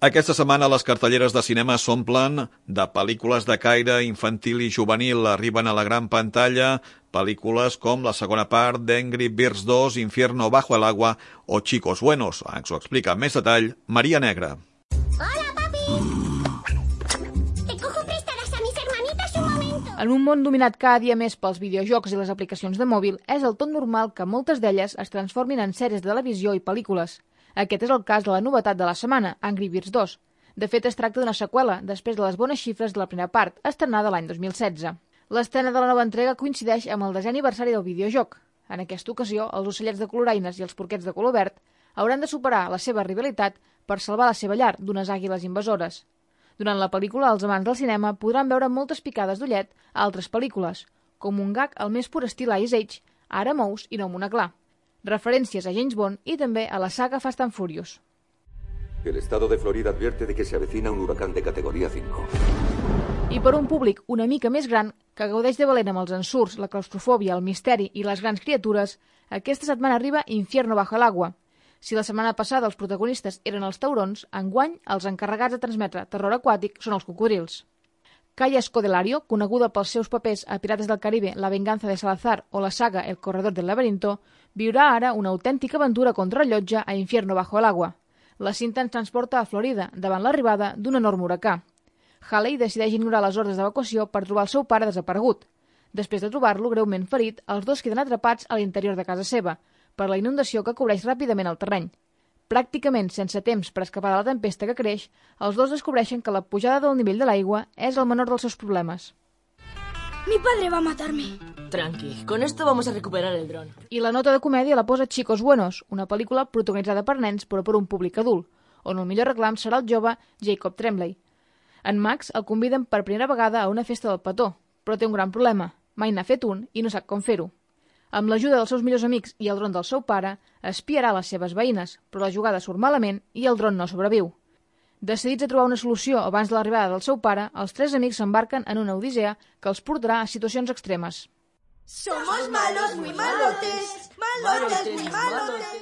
Aquesta setmana les cartelleres de cinema s'omplen de pel·lícules de caire infantil i juvenil. Arriben a la gran pantalla pel·lícules com la segona part d'Angry Birds 2, Infierno bajo el agua o Chicos Buenos. Ens ho explica amb més detall Maria Negra. ¡Hola, papi! ¿Te cojo prestadas a mis hermanitas un momento? En un món dominat cada dia més pels videojocs i les aplicacions de mòbil, és del tot normal que moltes d'elles es transformin en sèries de televisió i pel·lícules. Aquest és el cas de la novetat de la setmana, Angry Birds 2. De fet, es tracta d'una seqüela, després de les bones xifres de la primera part, estrenada l'any 2016. L'estrena de la nova entrega coincideix amb el 10è aniversari del videojoc. En aquesta ocasió, els ocellets de coloraines i els porquets de color verd hauran de superar la seva rivalitat per salvar la seva llar d'unes àguiles invasores. Durant la pel·lícula, els amants del cinema podran veure moltes picades d'ullet a altres pel·lícules, com un gag al més pur estil Ice Age, Ara mous i no amb una clar. Referències a James Bond i també a la saga Fast and Furious. El estado de Florida advierte de que se avecina un huracán de categoría 5. I per un públic una mica més gran, que gaudeix de valent amb els ensurts, la claustrofòbia, el misteri i les grans criatures, aquesta setmana arriba Infierno bajo el agua. Si la setmana passada els protagonistes eren els taurons, enguany els encarregats de transmetre terror aquàtic són els cocodrils. Kaya Scodelario, coneguda pels seus papers a Pirates del Caribe, La venganza de Salazar o la saga El corredor del laberinto, viurà ara una autèntica aventura contrarrellotge a Infierno bajo el agua. La cinta ens transporta a Florida, davant l'arribada d'un enorme huracà. Haley decideix ignorar les ordres d'evacuació per trobar el seu pare desaparegut. Després de trobar-lo greument ferit, els dos queden atrapats a l'interior de casa seva, per la inundació que cobreix ràpidament el terreny. Pràcticament sense temps per escapar de la tempesta que creix, els dos descobreixen que la pujada del nivell de l'aigua és el menor dels seus problemes. Mi padre va a matarme. Tranqui, con esto vamos a recuperar el dron. I la nota de comèdia la posa Chicos Buenos, una pel·lícula protagonitzada per nens però per un públic adult, on el millor reclam serà el jove Jacob Tremblay. En Max el conviden per primera vegada a una festa del petó, però té un gran problema. Mai n'ha fet un i no sap com fer-ho. Amb l'ajuda dels seus millors amics i el dron del seu pare, espiarà les seves veïnes, però la jugada surt malament i el dron no sobreviu. Decidits a trobar una solució abans de l'arribada del seu pare, els tres amics s'embarquen en una odissea que els portarà a situacions extremes. Somos malos, muy malotes, malotes, muy malotes.